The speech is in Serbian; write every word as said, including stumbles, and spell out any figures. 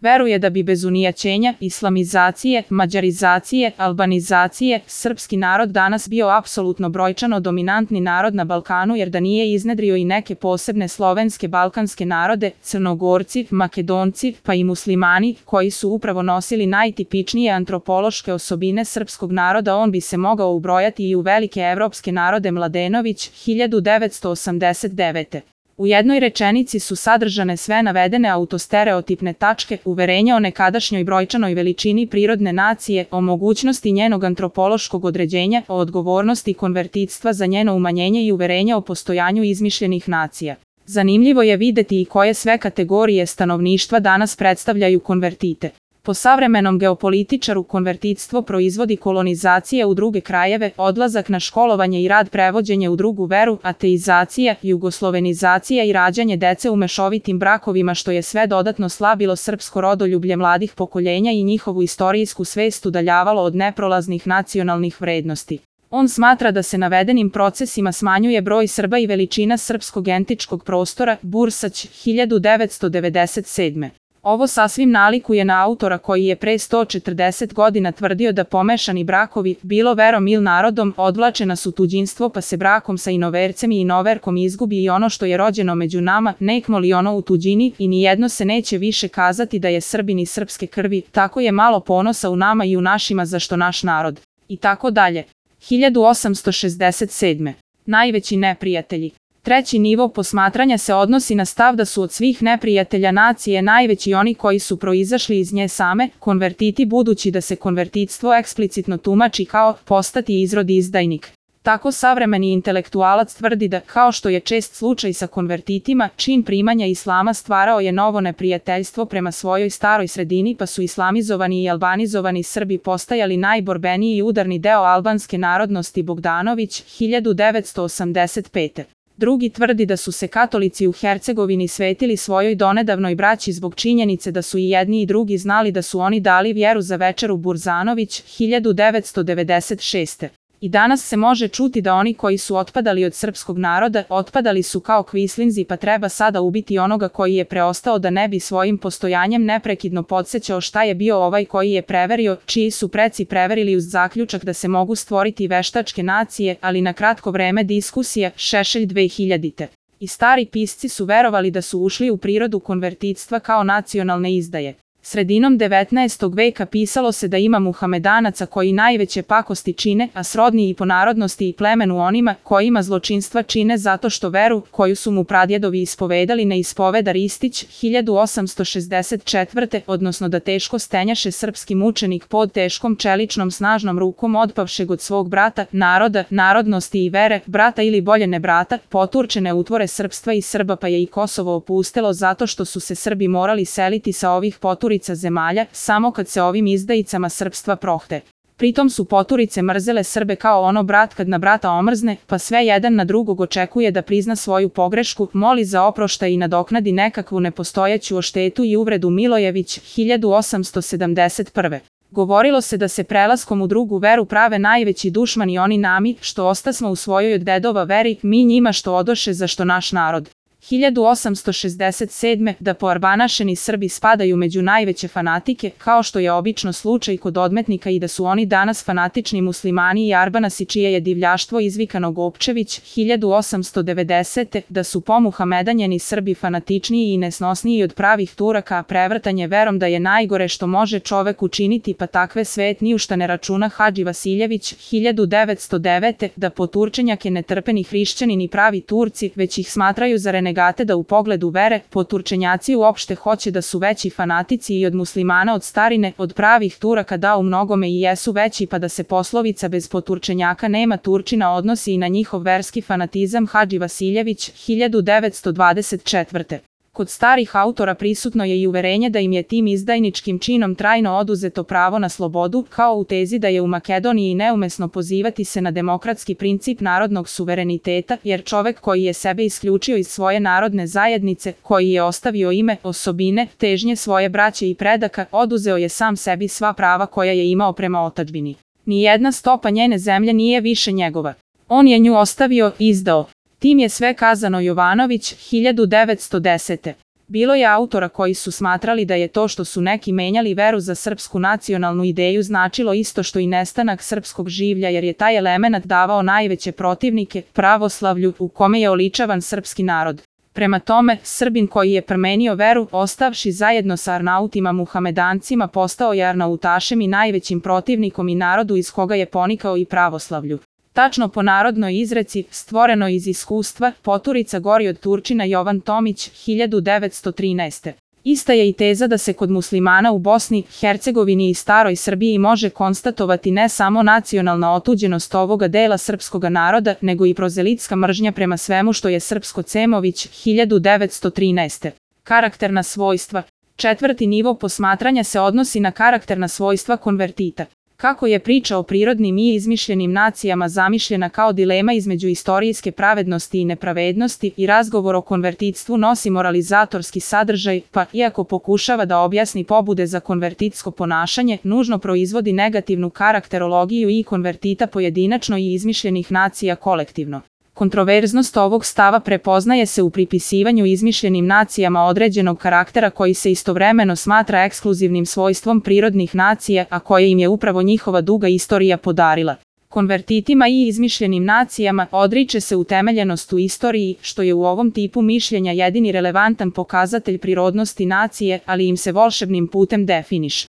Veruje da bi bez unijaćenja, islamizacije, mađarizacije, albanizacije, srpski narod danas bio apsolutno brojčano dominantni narod na Balkanu jer da nije iznedrio i neke posebne slovenske balkanske narode, Crnogorci, Makedonci, pa i muslimani, koji su upravo nosili najtipičnije antropološke osobine srpskog naroda, on bi se mogao ubrojati i u velike evropske narode. Mladenović, hiljadu devetsto osamdeset devete. U jednoj rečenici su sadržane sve navedene autostereotipne tačke, uverenja o nekadašnjoj brojčanoj veličini prirodne nacije, o mogućnosti njenog antropološkog određenja, o odgovornosti konvertitstva za njeno umanjenje i uverenja o postojanju izmišljenih nacija. Zanimljivo je videti i koje sve kategorije stanovništva danas predstavljaju konvertite. Po savremenom geopolitičaru konvertitstvo proizvodi kolonizacije u druge krajeve, odlazak na školovanje i rad, prevođenje u drugu veru, ateizacija, jugoslovenizacija i rađanje dece u mešovitim brakovima, što je sve dodatno slabilo srpsko rodoljublje mladih pokoljenja i njihovu istorijsku svest udaljavalo od neprolaznih nacionalnih vrednosti. On smatra da se navedenim procesima smanjuje broj Srba i veličina srpskog entičkog prostora. Bursać, hiljadu devetsto devedeset sedme. Ovo sasvim nalikuje na autora koji je pre sto četrdeset godina tvrdio da pomešani brakovi, bilo verom il narodom, odvlače nas u tuđinstvo, pa se brakom sa inovercem i inoverkom izgubi i ono što je rođeno među nama, nekmo li ono u tuđini, i nijedno se neće više kazati da je Srbin i srpske krvi, tako je malo ponosa u nama i u našima zašto naš narod. I tako dalje. hiljadu osamsto šezdeset sedme. Najveći neprijatelji. Treći nivo posmatranja se odnosi na stav da su od svih neprijatelja nacije najveći oni koji su proizašli iz nje same, konvertiti, budući da se konvertitstvo eksplicitno tumači kao postati izrod izdajnik. Tako savremeni intelektualac tvrdi da, kao što je čest slučaj sa konvertitima, čin primanja islama stvarao je novo neprijateljstvo prema svojoj staroj sredini, pa su islamizovani i albanizovani Srbi postajali najborbeniji i udarni deo albanske narodnosti. Bogdanović, hiljadu devetsto osamdeset pete. Drugi tvrdi da su se katolici u Hercegovini svetili svojoj donedavnoj braći zbog činjenice da su i jedni i drugi znali da su oni dali vjeru za večeru. Burzanović, hiljadu devetsto devedeset šeste. I danas se može čuti da oni koji su otpadali od srpskog naroda, otpadali su kao kvislinzi, pa treba sada ubiti onoga koji je preostao da ne bi svojim postojanjem neprekidno podsjećao šta je bio ovaj koji je preverio, čiji su preci preverili uz zaključak da se mogu stvoriti veštačke nacije, ali na kratko vreme diskusija. Šešelj, dve hiljadite. I stari pisci su verovali da su ušli u prirodu konvertitstva kao nacionalne izdaje. Sredinom devetnaestog veka pisalo se da ima Muhamedanaca koji najveće pakosti čine, a srodni i po narodnosti i plemenu onima kojima zločinstva čine zato što veru, koju su mu pradjedovi ispovedali, ne ispoveda. Ristić, hiljadu osamsto šezdeset četvrte. Odnosno da teško stenjaše srpski mučenik pod teškom čeličnom snažnom rukom otpavšeg od svog brata, naroda, narodnosti i vere, brata ili bolje ne brata, poturčene utvore srpstva i Srba, pa je i Kosovo opustelo zato što su se Srbi morali seliti sa ovih poturica zemalja, samo kad se ovim izdajicama srpstva prohte. Pritom su poturice mrzele Srbe kao ono brat kad na brata omrzne, pa sve jedan na drugog očekuje da prizna svoju pogrešku, moli za oproštaj i nadoknadi nekakvu nepostojeću oštetu i uvredu. Milojević, hiljadu osamsto sedamdeset prve. Govorilo se da se prelaskom u drugu veru prave najveći dušmani oni nami, što ostasmo u svojoj od dedova veri, mi njima što odoše zašto naš narod. hiljadu osamsto šezdeset sedme. Da poarbanašeni Srbi spadaju među najveće fanatike, kao što je obično slučaj kod odmetnika, i da su oni danas fanatični muslimani i arbanasi čije je divljaštvo izvikano. Gopčević, hiljadu osamsto devedesete. Da su pomuhamedanjeni Srbi fanatičniji i nesnosniji od pravih Turaka, a prevrtanje verom da je najgore što može čovek učiniti, pa takve svet ni u šta ne računa. Hadži Vasiljević, hiljadu devetsto devete. Da poturčenjake ne trpe ni hrišćani ni pravi Turci, već ih smatraju za renegate, da u pogledu vere, poturčenjaci uopšte hoće da su veći fanatici i od muslimana od starine, od pravih Turaka da u mnogome i jesu veći, pa da se poslovica bez poturčenjaka nema Turčina odnosi i na njihov verski fanatizam. Hadži Vasiljević, hiljadu devetsto dvadeset četvrte. Kod starih autora prisutno je i uverenje da im je tim izdajničkim činom trajno oduzeto pravo na slobodu, kao u tezi da je u Makedoniji neumesno pozivati se na demokratski princip narodnog suvereniteta, jer čovek koji je sebe isključio iz svoje narodne zajednice, koji je ostavio ime, osobine, težnje svoje braće i predaka, oduzeo je sam sebi sva prava koja je imao prema otadžbini. Nijedna stopa njene zemlje nije više njegova. On je nju ostavio, izdao. Tim je sve kazano. Jovanović, hiljadu devetsto desete. Bilo je autora koji su smatrali da je to što su neki menjali veru za srpsku nacionalnu ideju značilo isto što i nestanak srpskog življa, jer je taj element davao najveće protivnike pravoslavlju u kome je oličavan srpski narod. Prema tome, Srbin koji je promenio veru, ostavši zajedno sa Arnautima Muhamedancima, postao je Arnautašem i najvećim protivnikom i narodu iz koga je ponikao i pravoslavlju. Tačno po narodnoj izreci, stvoreno iz iskustva, poturica gori od Turčina Jovan Tomić, hiljadu devetsto trinaeste. Ista je i teza da se kod muslimana u Bosni, Hercegovini i staroj Srbiji može konstatovati ne samo nacionalna otuđenost ovoga dela srpskoga naroda, nego i prozelitska mržnja prema svemu što je srpsko. Cemović, hiljadu devetsto trinaeste. Karakterna svojstva. Četvrti nivo posmatranja se odnosi na karakterna svojstva konvertita. Kako je priča o prirodnim i izmišljenim nacijama zamišljena kao dilema između istorijske pravednosti i nepravednosti, i razgovor o konvertitstvu nosi moralizatorski sadržaj, pa, iako pokušava da objasni pobude za konvertitsko ponašanje, nužno proizvodi negativnu karakterologiju i konvertita pojedinačno i izmišljenih nacija kolektivno. Kontroverznost ovog stava prepoznaje se u pripisivanju izmišljenim nacijama određenog karaktera koji se istovremeno smatra ekskluzivnim svojstvom prirodnih nacija, a koje im je upravo njihova duga istorija podarila. Konvertitima i izmišljenim nacijama odriče se utemeljenost u istoriji, što je u ovom tipu mišljenja jedini relevantan pokazatelj prirodnosti nacije, ali im se volšebnim putem definiše.